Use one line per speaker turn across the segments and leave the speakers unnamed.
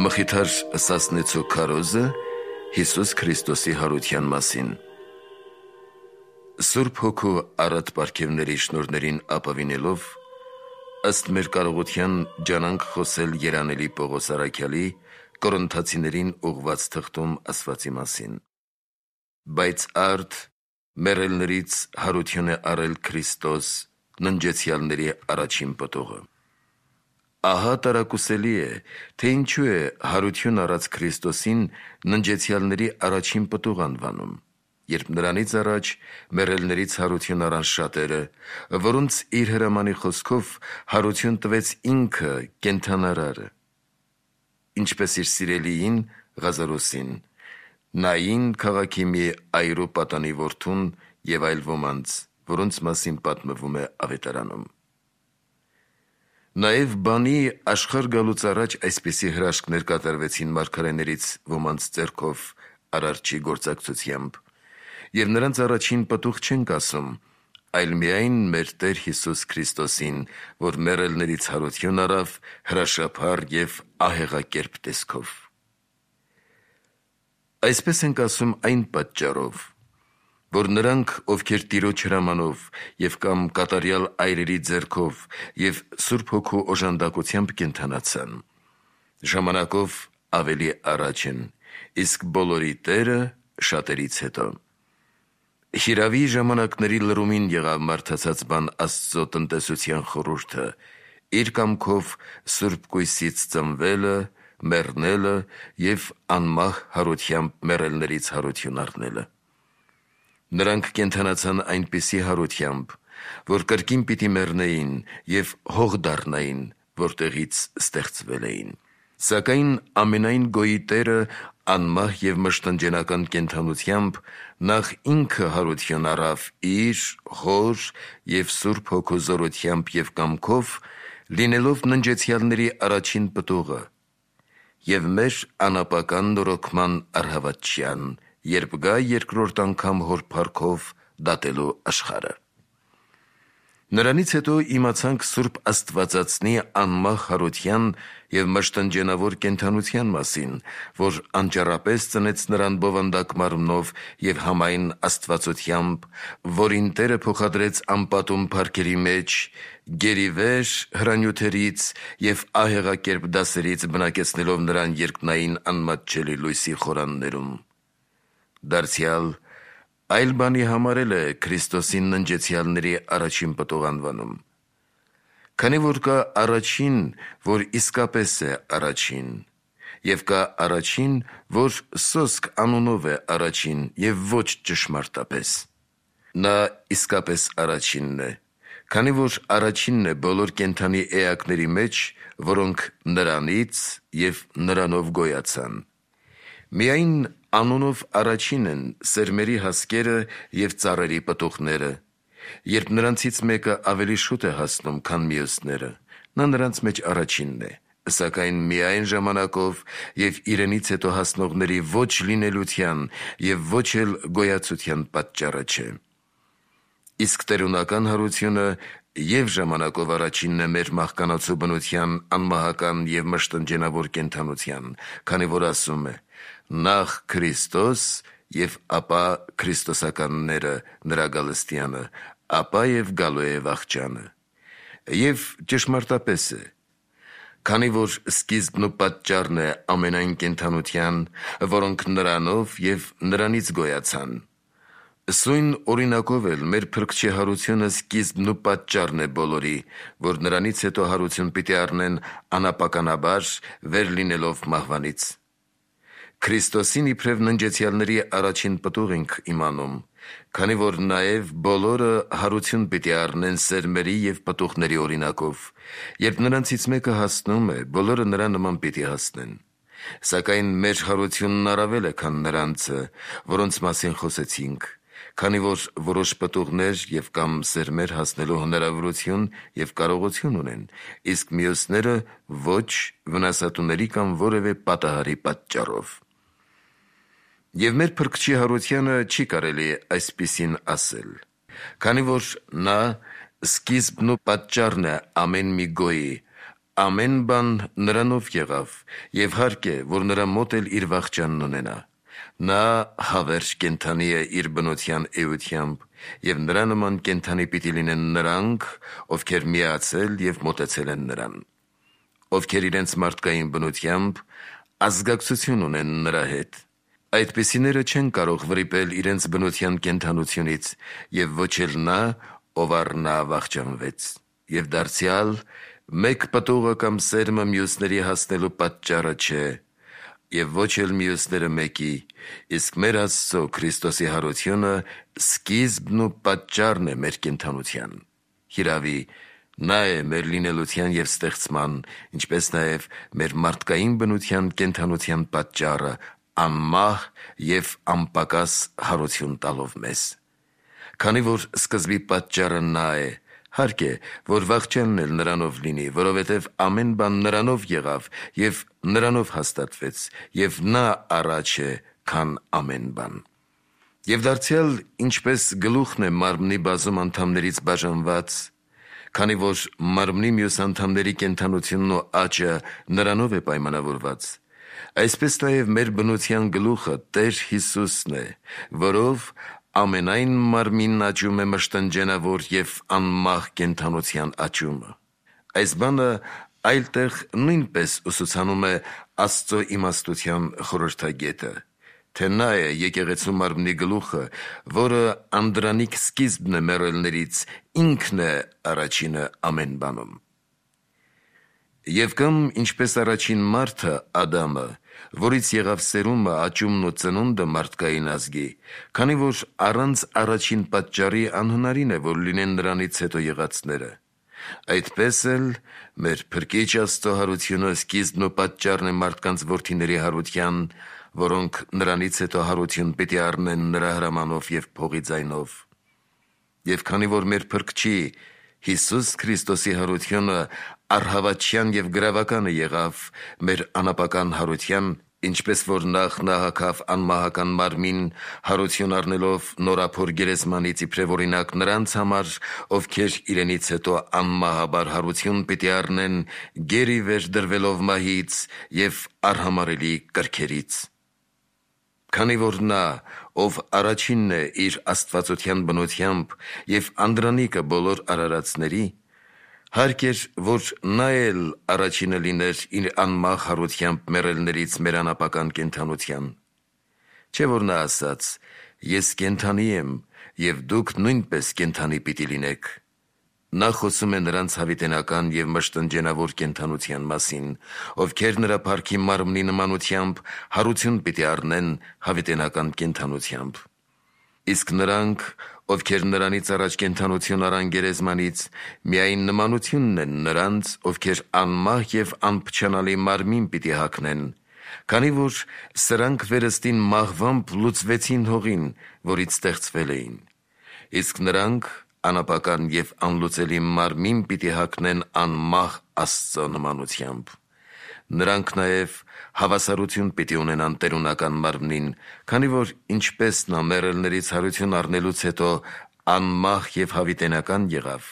Մխիթար Սասնեցու քարոզը Հիսուս Քրիստոսի հարության մասին։ Սուրբ Հոգու առատ պարգևների շնորհներին ապավինելով, ըստ մեր կարողության ջանանք խոսել երանելի Պողոս առաքյալի Կորինթացիներին ուղված թղթում ասվածի մասին։ Բայց արդ մեռելներից հարություն է առել Քրիստոս, ննջեցյալների առաջին պտուղը։ Ահա տարակուսելի է, թե ինչու է հարություն առած Քրիստոսին ննջեցյալների առաջին պտուղ անվանում, երբ նրանից առաջ մեռելներից հարություն առան շատերը, որոնց իր հրամանի խոսքով հարություն տվեց ինքը կենդանարարը, ինչպես իր սիրելիին Ղազարոսին, Նային քաղաքի մի այրու պատանի որդուն և այլ ոմանց, որոնց մասին պատմվում է ավետարանում։ Նաև բանի աշխարհ գալուց առաջ այսպիսի հրաշքներ կատարվեցին մարգարեներից ոմանց ձեռքով Արարչի գործակցությամբ, և նրանց առաջին պտուղ չենք ասում, այլ միայն մեր Տեր Հիսուս Քրիստոսին, որ մեռելներից հարություն առավ հրաշափառ և ահեղակերպ տեսքով։ Այսպես ենք ասում այն պատճառով, որ նրանք, ովքեր Տիրոջ հրամանով և կամ կատարյալ այրերի ձեռքով և Սուրբ Հոգու օժանդակությամբ կենդանացան, ժամանակով ավելի առաջ են, իսկ բոլորի Տերը շատերից հետո։ Հիրավի ժամանակների լրումին եղավ մարդացած բան Աստծո տնտեսության խորհուրդը, իր կամքով Սուրբ կույսից ծնվելը, մեռնելը և անմահ հարությամբ մեռելներից հարություն առնելը։ Նրանք կենդանացան այնպիսի հարությամբ, որ կրկին պիտի մեռնեին և հող դառնային, որտեղից ստեղծվել էին։ Սակայն ամենայն գոյի Տերը անմահ և մշտնջենական կենդանությամբ նախ ինքը հարություն առավ իր Հոր և Սուրբ Հոգու զորությամբ և կամքով, լինելով ննջեցյալների առաջին պտուղը և մեր անապական նորոգման առհավատչյան, երբ գա երկրորդ անգամ Հոր փառքով դատելու աշխարհը։ Նրանից հետո իմացանք Սուրբ Աստվածածնի անմահ հարության և մշտնջենավոր կենդանության մասին, որ անճառապես ծնեց նրան բովանդակ մարմնով և համայն աստվածությամբ, որին Տերը փոխադրեց անպատում փառքերի մեջ, գերիվեր հրանյութերից և ահեղակերպ դասերից բնակեցնելով նրան երկնային անմատչելի լույսի խորաններում։ Դարձյալ այլ բանի համար է Քրիստոսին ննջեցյալների առաջին պտուղ անվանում, քանի որ կա առաջին, որ իսկապես է առաջին, և կա առաջին, որ սոսկ անունով է առաջին և ոչ ճշմարտապես։ Նա իսկապես առաջինն է, քանի որ առաջինն է բոլոր կենդանի էակների մեջ, որոնք նրանից և նրանով գոյացան։ Միայն անունով առաջին են սերմերի հասկերը և ծառերի պտուղները։ Երբ նրանցից մեկը ավելի շուտ է հասնում, քան մյուսները, նա նրանց մեջ առաջինն է, սակայն միայն ժամանակով և իրենից հետո հասնողների ոչ լինելության և ոչ էլ գոյացության պատճառը չէ։ Իսկ տերունական հարությունը և ժամանակով առաջինն է մեր մահկանացու բնության անմահական և մշտնջենավոր կենդանության, քանի որ ասում է. «Նախ Քրիստոս և ապա քրիստոսականները նրա գալստյանը, ապա և գալու է վախճանը»։ Եվ ճշմարտապես է, քանի որ սկիզբն ու պատճառն է ամենայն կենդանության, որոնք նրանով և նրանից գոյացան։ Սույն օրինակով էլ մեր Փրկչի հարությունը սկիզբն ու պատճառն է բոլորի, որ նրանից հետո հարություն պիտի առնեն անապականաբար, վեր լինելով մահվանից։ Քրիստոսին իբրև ննջեցյալների առաջին պտուղ ենք իմանում, քանի որ նաև բոլորը հարություն պիտի առնեն սերմերի և պտուղների օրինակով։ Երբ նրանցից մեկը հասնում է, բոլորը նրա նման պիտի հասնեն։ Սակայն մեր հարությունն առավել է, քան նրանցը, որոնց մասին խոսեցինք, քանի որ որոշ պտուղներ և կամ սերմեր հասնելու հնարավորություն և կարողություն ունեն, իսկ մյուսները ոչ վնասատուների կամ որևէ պատահարի պատճառով։ Եվ մեր Փրկչի հարությանը չի կարելի այսպիսին ասել, քանի որ նա սկիզբն ու պատճառն է ամեն մի գոյի, ամեն բան նրանով եղավ, և հարկ է, որ նրա մոտ էլ իր վախճանն ունենա։ Նա հավերժ կենդանի է իր բնության էությամբ, և նրա նման կենդանի պիտի լինեն նրանք, ովքեր միացել և մոտեցել են նրան, ովքեր իրենց մարդկային բնությամբ ազգակցություն ունեն նրա հետ։ Այդպիսիները չեն կարող վրիպել իրենց բնության կենդանությունից, և ոչ էլ նա, ով առ նա վախճանվեց, և դարձյալ մեկ պտուղը կամ սերմը մյուսների հասնելու պատճառը չէ, և ոչ էլ մյուսները մեկի, իսկ մեր Աստծո Քրիստոսի հարությունը սկիզբն ու պատճառն է մեր կենդանության։ Հիրավի, նա է մեր լինելության և ստեղծման, ինչպես նաև մեր մարդկային բնության կենդանության պատճառը, անմահ և անպակաս հարություն տալով մեզ։ Քանի որ սկզբի պատճառը նա է, հարկ է, որ վախճանն էլ նրանով լինի, որովհետև ամեն բան նրանով եղավ և նրանով հաստատվեց, և նա առաջ է, քան ամեն բան։ Եվ դարձյալ ինչպես գլուխն է մարմնի բազում անդամներից բաժանված, քանի որ մարմնի մյուս անդամների կենդանությունն ու աճը նրանով է պայմանավորված, այսպես նաև մեր բնության գլուխը Տեր Հիսուսն է, որով ամենայն մարմինն աճում է մշտնջենավոր և անմահ կենդանության աճումը։ Այս բանը այլ տեղ նույնպես ուսուցանում է Աստծո իմաստության խորհրդագետը, թե նա է եկեղեցու մարմնի գլուխը, որը անդրանիկ սկիզբն է մեռելներից, ինքն է առաջինը ամեն բանում։ Եվ կամ ինչպես առաջին մարդը Ադամը, որից եղավ սերումը, աճումն ու ծնունդը մարդկային ազգի, քանի որ առանց առաջին պատճառի անհնարին է, որ լինեն նրանից հետո եղածները, այդպես էլ մեր Փրկիչ Աստծո հարությունը սկիզբն ու պատճառն է մարդկանց որդիների հարության, որոնք նրանից հետո հարություն պիտի առնեն նրա հրամանով և փողի ձայնով։ Եվ քանի որ մեր Փրկչի Հիսուս Քրիստոսի հարությունը առհավատչյան և գրավականը եղավ մեր անապական հարության, ինչպես որ նախ նա հագավ անմահական մարմին, հարություն առնելով նորափոր գերեզմանից իբրև օրինակ նրանց համար, ովքեր իրենից հետո անմահաբար հարություն պիտի առնեն, գերի վեր դրվելով մահից և արհամարհելի կրքերից։ Քանի որ նա, ով առաջինն է իր աստվածության բնությամբ և անդրանիկը բոլոր արարածների, հարկ էր, որ նա էլ առաջինը լիներ իր անմահ հարությամբ մեռելներից մեր անապական կենդանության։ Չէ՞ որ նա ասաց. «Ես կենդանի եմ, և դուք նույնպես կենդանի պիտի լինեք»։ Նա խոսում է նրանց հավիտենական և մշտնջենավոր կենդանության մասին, ովքեր նրա փառքի մարմնի նմանությամբ հարություն պիտի առնեն հավիտենական կենդանությամբ։ Իսկ նրանք, ովքեր նրանից առաջ կենդանություն առան գերեզմանից, միայն նմանությունն են նրանց, ովքեր անմահ և անփչանալի մարմին պիտի հագնեն, քանի որ սրանք վերստին մահվամբ լուծվեցին հողին, որից ստեղծվել էին, իսկ նրանք անապական և անլուծելի մարմին պիտի հագնեն անմահ Աստծո նմանությամբ։ Նրանք նաև հավասարություն պիտի ունենան տերունական մարմնին, քանի որ ինչպես նա մեռելներից հարություն առնելուց հետո անմահ և հավիտենական եղավ,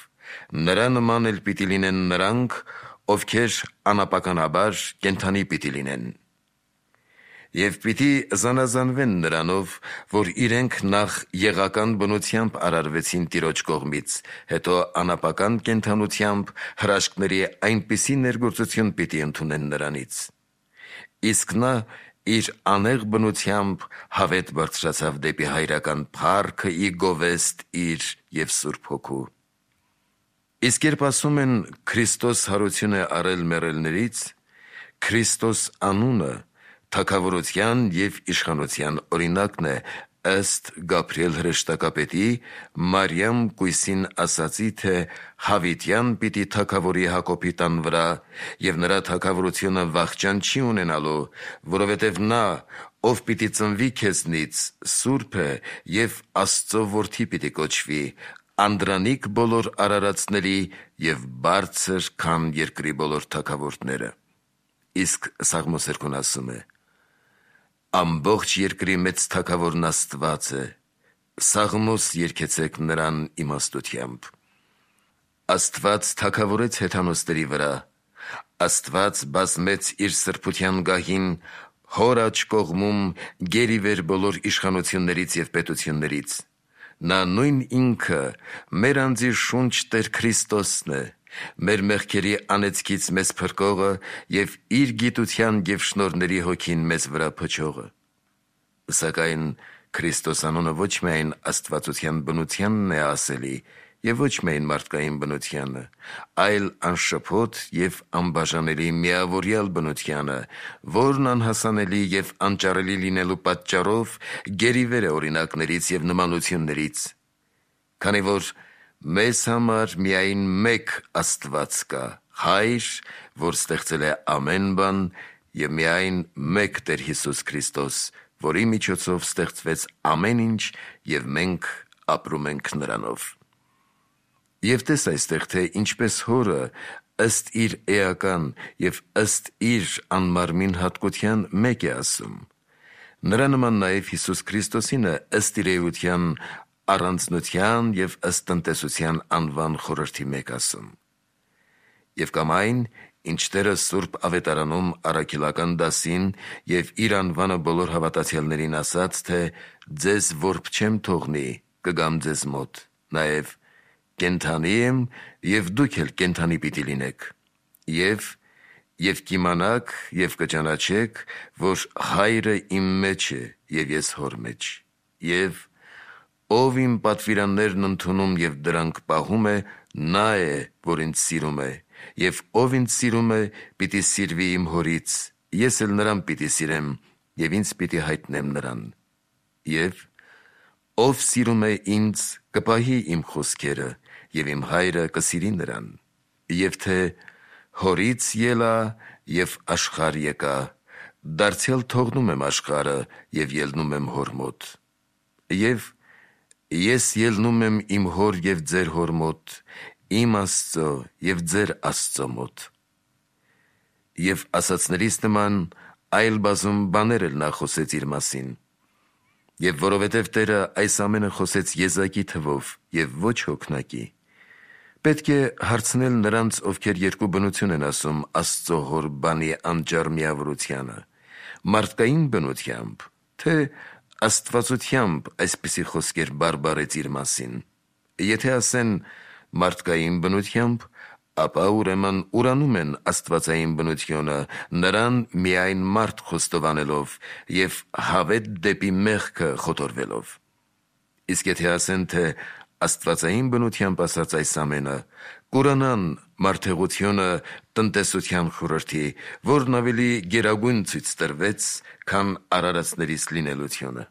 նրա նման էլ պիտի լինեն նրանք, ովքեր անապականաբար կենդանի պիտի լինեն։ Եվ պիտի զանազանվեն նրանով, որ իրենք նախ եղական բնությամբ արարվեցին Տիրոջ կողմից, հետո անապական կենդանությամբ հրաշքների այնպիսի ներգործություն պիտի ընդունեն նրանից։ Իսկ նա իր անեղ բնությամբ հավետ բարձրացավ դեպի հայրական փառքը ի գովեստ իր և Սուրբ Հոգու։ Իսկ երբ ասում են Քրիստոս հարություն է առել մեռելներից, Քրիստոս անունը թագավորության և իշխանության օրինակն է, ըստ Գաբրիել հրեշտակապետի Մարիամ կույսին ասացի, թե հավիտյան պիտի թագավորի Հակոբի տան վրա, և նրա թագավորությունը վախճան չի ունենալու, որովհետև նա, ով պիտի ծնվի քեզնից, սուրբ է և Աստծո որդի պիտի կոչվի, անդրանիկ բոլոր արարածների և բարձր, քան երկրի բոլոր թագավորները։ Իսկ Սաղմոս 2-ն ասում է. «Ամբողջ երկրի մեծ թագավորն Աստված է, սաղմոս երգեցեք նրան իմաստությամբ»։ Աստված թագավորեց հեթանոսների վրա, Աստված բազմեց իր սրբության գահին հոր աջ կողմում գերիվեր բոլոր իշխանություններից և պետություններից։ Նա նույն ինքը մեր անձի շունչ Տեր Քրիստոսն է, մեր մեղքերի անեծքից մեզ փրկողը և իր գիտության և շնորհների հոգին մեզ վրա փչողը։ Սակայն Քրիստոս անունը ոչ միայն աստվածության բնությանն է ասելի և ոչ միայն մարդկային բնությանը, այլ անշփոթ և անբաժանելի միավորյալ բնությանը, որն անհասանելի և անճարելի լինելու պատճառով գերիվեր է օրինակներից և նմանություններից, քանի որ մեզ համար միայն մեկ Աստված կա, Հայր, որ ստեղծել է ամեն բան, և միայն մեկ Տեր Հիսուս Քրիստոս, որի միջոցով ստեղծվեց ամեն ինչ, և մենք ապրում ենք նրանով։ Եվ տես այստեղ, թե ինչպես Հորը ըստ իր էական և ըստ իր անմարմին հատկության մեկ է ասում, նրա նման նաև Հիսուս Քրիստոսինը ըստ իր էության առանձնության և ըստ տնտեսության անվան խորհրդի մեկ ասում։ Եվ կամ այն, ինչ Տերը Սուրբ Ավետարանում առաքելական դասին և իր անվանը բոլոր հավատացյալներին ասաց, թե «Ձեզ որբ չեմ թողնի, կգամ ձեզ մոտ», նաև «Կենդանի եմ, և դուք էլ կենդանի պիտի լինեք», և կիմանաք և կճանաչեք, որ Հայրը իմ մեջ է, և ես Հոր մեջ, և ով իմ պատվիրաններն ընդունում և դրանք պահում է, նա է, որ ինձ սիրում է, և ով ինձ սիրում է, պիտի սիրվի իմ Հորից, ես էլ նրան պիտի սիրեմ, և ինձ պիտի հայտնեմ նրան, և ով սիրում է ինձ, կպահի իմ խոսքերը, և իմ Հայրը կսիրի նրան, և թե Հորից ելա և աշխարհ եկա, դարձյալ թողնում եմ աշխարհը և ելնում եմ Հոր մոտ, և ես ելնում եմ իմ Հոր և ձեր Հոր մոտ, իմ Աստծո և ձեր Աստծո մոտ։ Եվ ասացներից նման այլ բազում բաներ էլ նա խոսեց իր մասին։ Եվ որովհետև Տերը այս ամենը խոսեց եզակի թվով և ոչ հոգնակի, պետք է հարցնել նրանց, ովքեր երկու բնություն են ասում Աստծո Հոր բանի անճար միավորությանը, մարդկային բնությամբ, թե աստվածությամբ այսպիսի խոսքեր բարբառեց իր մասին։ Եթե ասեն մարդկային բնությամբ, ապա ուրեմն ուրանում են աստվածային բնությունը, նրան միայն մարդ խոստովանելով և հավետ դեպի մեղքը խոթորվելով։ Իսկ եթե ասեն, թե աստվածային բնությամբ ասած այս ամենը, կուրանան մարդեղությունը տնտեսության խորհրդի, որն ավելի գերագույն ցույց տրվեց, քան արարածներից լինելությունը։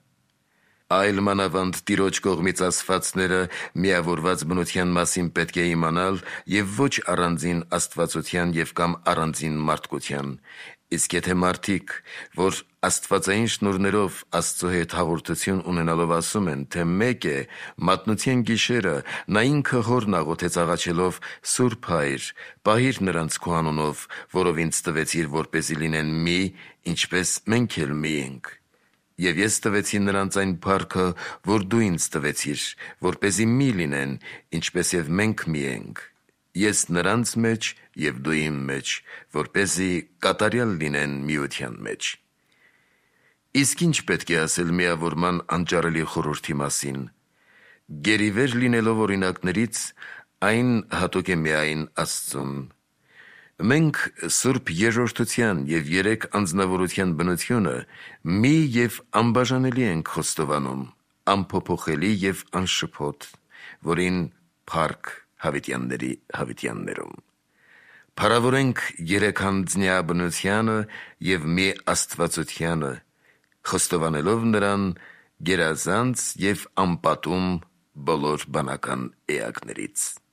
Այլ մանավանդ Տիրոջ կողմից ասվածները միավորված բնության մասին պետք է իմանալ և ոչ առանձին աստվածության և կամ առանձին մարդկության, իսկ եթե մարդիկ, որ աստվածային շնորհներով Աստծո հետ հաղորդություն ունենալով ասում են, թե մեկ է մատնության գիշերը նա ինքը Հորն աղոթեց աղաչելով. «Սուրբ Հայր, պահիր նրանց քո անունով, որով ինձ տվեցիր, որպեսզի լինեն մի, ինչպես մենք էլ մի ենք։ Եվ ես տվեցի նրանց այն փառքը, որ դու ինձ տվեցիր, որպեսզի մի լինեն, ինչպես և մենք մի ենք, ես նրանց մեջ և դու իմ մեջ, որպեսզի կատարյալ լինեն միության մեջ»։ Իսկ ինչ պետք է ասել միավորման անճարելի խորհրդի մասին։ Գերիվեր լինելով օրինակներից, այն հատուկ է միայն Աստծուն։ Մենք Սուրբ Երրորդության և երեք անձնավորության բնությունը մի և անբաժանելի ենք խոստովանում, անփոփոխելի և անշփոթ, որին փառք հավիտյանների հավիտյաններում։ Փառավորենք երեքանձնյա բնությանը և մի աստվածությանը, խոստովանելով նրան գերազանց և անպատում բոլոր բանական էակներից։